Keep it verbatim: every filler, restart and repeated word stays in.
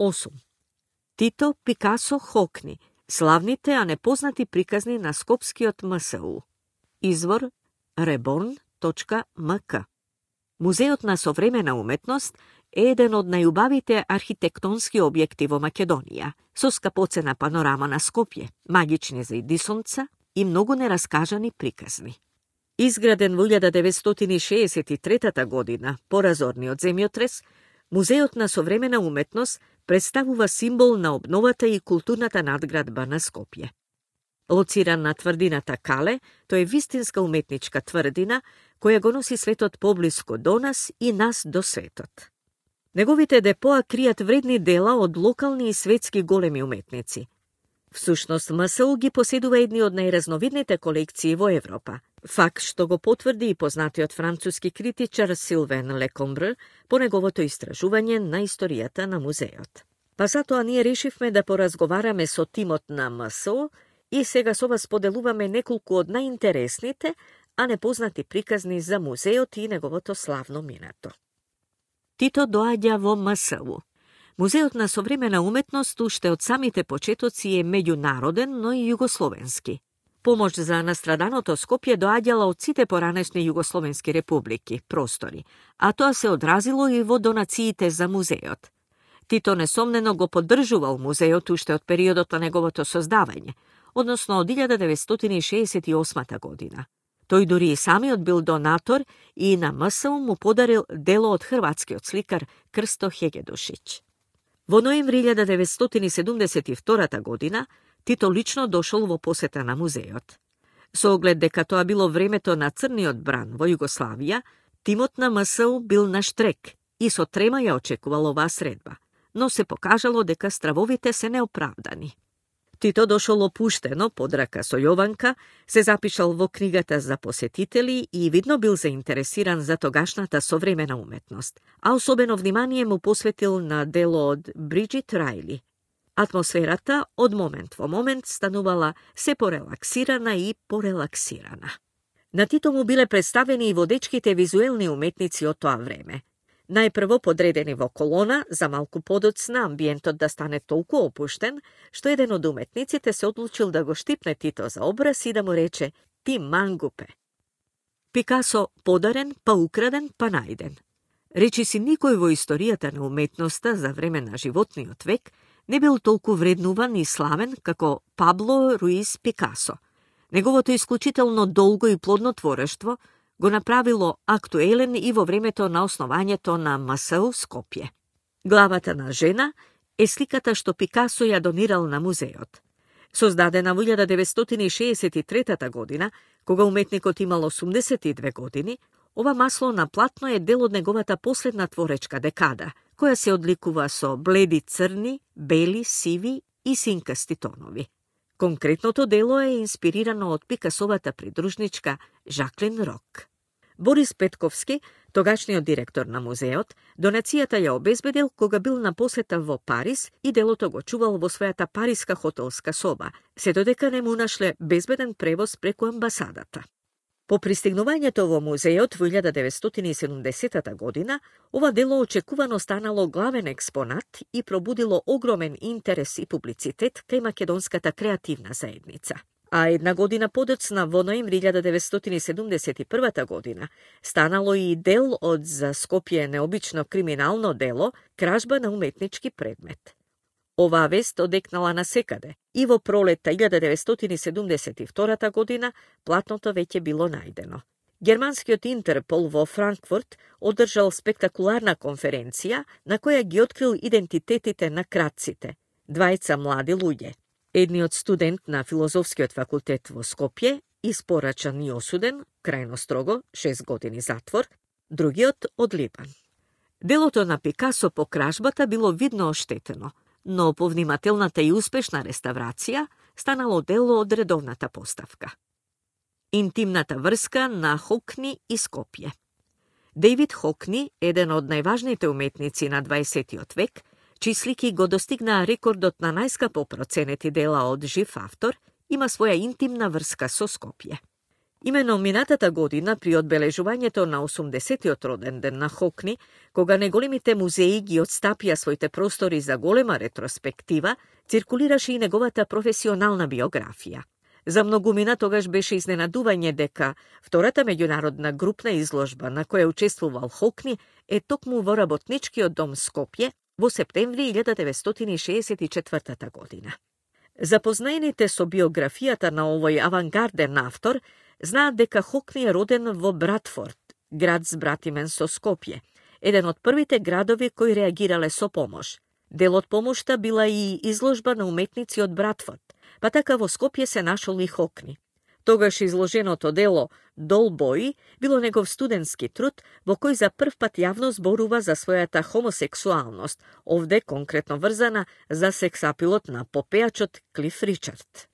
осум. Тито, Пикасо, Хокни. Славните, а непознати приказни на Скопскиот МСУ. Извор reborn точка ем ка. Музеот на современа уметност е еден од најубавите архитектонски објекти во Македонија, со скапоцена панорама на Скопје, магични зајди сонца и многу нераскажани приказни. Изграден во илјада деветстотини шеесет и трета година, по разорниот земјотрес, Музеот на современа уметност представува символ на обновата и културната надградба на Скопје. Лоциран на тврдината Кале, тој е вистинска уметничка тврдина, која го носи светот поблиско до нас и нас до светот. Неговите депоа кријат вредни дела од локални и светски големи уметници. Всушност, МСУ ги поседува едни од најразновидните колекции во Европа. Факт што го потврди и познатиот француски критичар Силвен Лекомбр по неговото истражување на историјата на музеот. Па затоа ние решивме да поразговараме со тимот на МСУ и сега со вас поделуваме неколку од најинтересните, а непознати приказни за музеот и неговото славно минато. Тито доаѓа во МСУ. Музеот на современа уметност уште од самите почетоци е меѓународен, но и југословенски. Помош за настраданото Скопје доаѓала од сите поранешни југословенски републики, простори, а тоа се одразило и во донациите за музеот. Тито несомнено го поддржувал музеот уште од периодот на неговото создавање, односно од илјада деветстотини шеесет и осма година. Тој дури и самиот бил донатор и на МСУ му подарил дело од хрватскиот сликар Крсто Хегедушиć. Во ноември илјада деветстотини седумдесет и втора година Тито лично дошол во посета на музеот. Со оглед дека тоа било времето на црниот бран во Југославија, тимот на МСУ бил на штрек и со трема ја очекувал оваа средба, но се покажало дека стравовите се неоправдани. Тито дошол опуштено, под рака со Јованка, се запишал во книгата за посетители и видно бил заинтересиран за тогашната современа уметност, а особено внимание му посветил на дело од Бриджит Рајли. Атмосферата од момент во момент станувала се порелаксирана и порелаксирана. На Тито му биле представени и водечките визуелни уметници од тоа време. Најпрво подредени во колона, за малку подоцна амбиентот да стане толку опуштен, што еден од уметниците се одлучил да го штипне Тито за образ и да му рече «Ти мангупе». Пикасо подарен, па украден, па најден. Речи си никој во историјата на уметноста за време на животниот век не бил толку вреднуван и славен како Пабло Руис Пикасо. Неговото исклучително долго и плодно творештво го направило актуелен и во времето на основањето на МСУ Скопје. Главата на жена е сликата што Пикасо ја донирал на музеот. Создадена во илјада деветстотини шеесет и трета година, кога уметникот имал осумдесет и две години, ова масло на платно е дел од неговата последна творечка декада, која се одликува со бледи црни, бели, сиви и синкасти тонови. Конкретното дело е инспирирано од Пикасовата придружничка Жаклин Рок. Борис Петковски, тогашниот директор на музеот, донацијата ја обезбедил кога бил на посета во Париз и делото го чувал во својата париска хотелска соба, се додека не му нашле безбеден превоз преку амбасадата. По пристигнувањето во музеот во илјада деветстотини и седумдесета година, ова дело очекувано станало главен експонат и пробудило огромен интерес и публицитет кај македонската креативна заедница. А една година подоцна, во ноември илјада деветстотини и седумдесет и прва година, станало и дел од за Скопје необично криминално дело кражба на уметнички предмет. Оваа вест одекнала насекаде и во пролетта илјада деветстотини и седумдесет и втора година платното веќе било најдено. Германскиот Интерпол во Франкфурт одржал спектакуларна конференција на која ги открил идентитетите на кратците, двајца млади луѓе. Едниот студент на Филозофскиот факултет во Скопје, испорачан и осуден, крајно строго, шест години затвор, другиот од Либан. Делото на Пикасо по кражбата било видно оштетено, но по внимателната и успешна реставрација станало дело од редовната поставка. Интимната врска на Хокни и Скопје. Дејвид Хокни, еден од најважните уметници на дваесеттиот век, чии слики го достигнаа рекордот на најскапо проценети дела од жив автор, има своја интимна врска со Скопје. Имено минатата година, при одбележувањето на осумдесетиот роден ден на Хокни, кога неголемите музеи ги отстапија своите простори за голема ретроспектива, циркулираше и неговата професионална биографија. За многумина тогаш беше изненадување дека втората меѓународна групна изложба на која учествувал Хокни е токму во Работничкиот дом Скопје во септември илјада деветстотини шеесет и четвртата година. Запознаените со биографијата на овој авангарден автор знаат дека Хокни е роден во Братфорд, град збратимен со Скопје, еден од првите градови кои реагирале со помош. Дел од помошта била и изложба на уметници од Братфорд, па така во Скопје се нашол и Хокни. Тогаш изложеното дело Долбои било негов студентски труд во кој за прв пат јавно зборува за својата хомосексуалност, овде конкретно врзана за сексапилот на попејачот Клиф Ричард.